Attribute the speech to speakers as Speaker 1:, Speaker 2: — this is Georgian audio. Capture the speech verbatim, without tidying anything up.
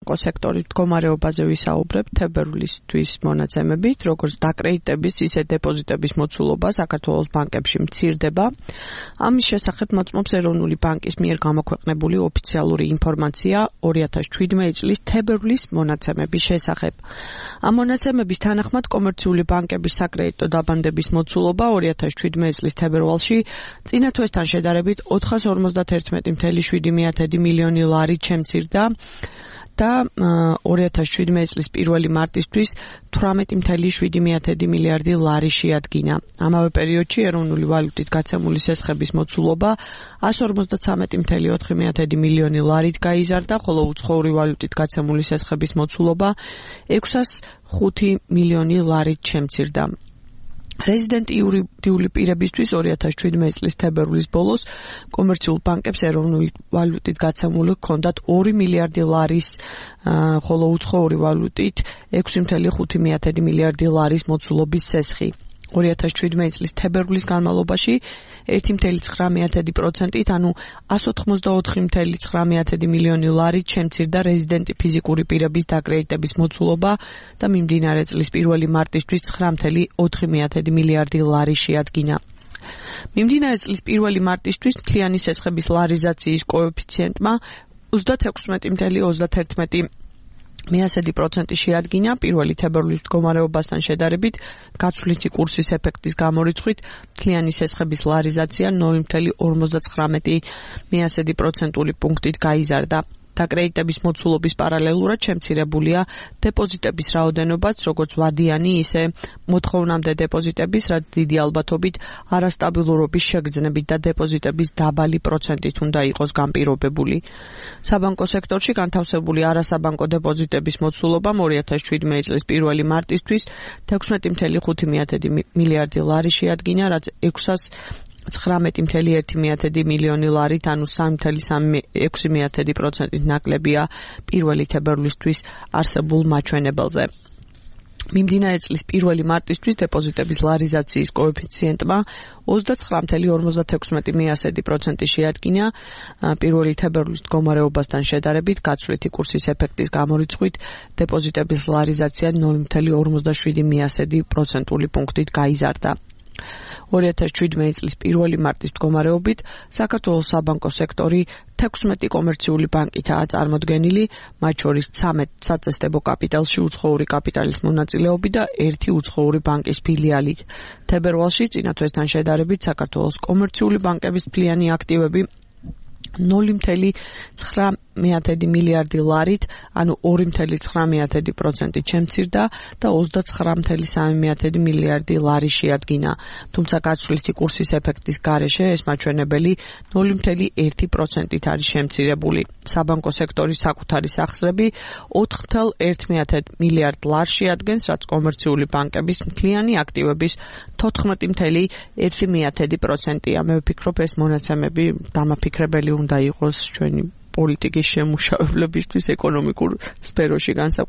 Speaker 1: სექტორის მდგომარეობაზე ვისაუბრებთ თებერვლისთვის მონაცემებით, როგორც დაკრედიტების, ისე დეპოზიტების მოცულობა საქართველოს ბანკებში მცირდება. ამის შესახებ მოწმობს ეროვნული ბანკის მიერ გამოქვეყნებული ოფიციალური ინფორმაცია ორი ათას შვიდმეტი წლის თებერვლის მონაცემების შესახებ. ამ მონაცემების თანახმად კომერციული ბანკების საკრედიტო დაბანდების მოცულობა ორი ათას შვიდმეტი წლის თებერვალში წინა თვესთან შედარებით ოთხას ორმოცდათერთმეტი მცდარი შვიდი მილიონი ლარით შემცირდა და ორი ათას შვიდმეტი წლის პირველი მარტისთვის თვრამეტი შვიდი მილიარდი ლარი შეადგინა. ამავე პერიოდში ეროვნული ვალუტით გაცემული სესხების მოცულობა εκατს ორმოცდათვრამეტი ოთხი მილიონი ლარით გაიზარდა, ხოლო უცხოური ვალუტით გაცემული სესხების მოცულობა ექვსას ხუთი მილიონი ლარით შემცირდა. რეზიდენტი იურიდიული პირებისთვის ორი ათას შვიდმეტი წლის თებერვლის ბოლოს კომერციულ ბანკებს ეროვნული ვალუტით გაცემული ჰქონდათ ორი მილიარდი ლარის, ხოლო უცხოური ვალუტით ექვსი ხუთი მილიარდი ლარის მოცულობის სესხი. ორი ათას შვიდმეტი წლის თებერვლის განმავლობაში ერთი ცხრა პროცენტით, ანუ εκατს ოთხმოცდაოთხი ცხრა მილიონი ლარით შემცირდა რეზიდენტი ფიზიკური პირების დაკრედიტების მოცულობა და მიმდინარე წლის პირველი მარტისთვის ცხრა ოთხი მილიარდი ლარი შეადგინა. მიმდინარე წლის პირველი მარტისთვის მთლიანი სესხების ლარიზაციის კოეფიციენტმა ოცდაექვსი ოცდაათერთმეტი პროცენტი შეადგინა პირველი თებერვლის მდგომარეობასთან შედარებით, გაცვლითი კურსის ეფექტის გამორიცხვით მთლიანი სესხების ლარიზაცია ნული ორმოცდათხრამეტი პროცენტული პუნქტით გაიზარდა. დაკრედიტების მოცულობის პარალელურად შემცირებულია დეპოზიტების რაოდენობაც, როგორც ვადიანი, ისე მოთხოვნამდე დეპოზიტების, რაც დიდი ალბათობით არასტაბილურობის შეგრძნებით და დეპოზიტების დაბალი პროცენტით უნდა იყოს განპირობებული. საბანკო სექტორში განთავსებული არასაბანკო დეპოზიტების მოცულობამ ორი ათას შვიდმეტი წლის პირველი მარტისთვის ექვსმეტი ხუთი მილიარდი ლარი შეადგინა, რაც ექვსას ცხრამეტი ერთი მილიონი ლარით, ანუ სამი ექვსი პროცენტით ნაკლებია პირველი თებერვლისთვის არსებულ მაჩვენებელზე. მიმდინარე წლის პირველი მარტისთვის დეპოზიტების ლარიზაციის კოეფიციენტმა ოცდაცხრა ორმოცდაექვსი პროცენტი შეადგინა პირველი თებერვლის მდგომარეობასთან შედარებით, გაცვლითი კურსის ეფექტის გამორიცხვით დეპოზიტების ლარიზაცია ნული ორმოცდაშვიდი პროცენტული პუნქტით გაიზარდა. ორი ათას შვიდმეტი წლის პირველი მარტის მდგომარეობით საქართველოს საბანკო სექტორი თექვსმეტი კომერციული ბანკითაა წარმოდგენილი, მათ შორის ცამეტი საწესდებო კაპიტალში უცხოური კაპიტალის მონაწილეობით და ერთი უცხოური ბანკის ფილიალით. თებერვალში წინა თვესთან შედარებით საქართველოს კომერციული ბანკების მთლიანი აქტივები ნული ცხრა მილიარდი ლარით, ანუ ორი ცხრა პროცენტით შემცირდა და ოცდაცხრა სამი მილიარდი ლარი შეადგინა. თუმცა გაცვლითი კურსის ეფექტის გარეშე ეს მაჩვენებელი ნული ერთი პროცენტით არის შემცირებული. საბანკო სექტორის საკუთარი სახსრები ოთხი ერთი მილიარდ ლარს შეადგენს, რაც კომერციული ბანკების მთლიანი აქტივების თოთხმეტი ერთი პროცენტია. მე ვფიქრობ, ეს მონაცემები დამაფიქრებელი უნდა იყოს ჩვენი პოლიტიკის შემუშავებლებისთვის ეკონომიკურ სფეროში განსაკუთრებით.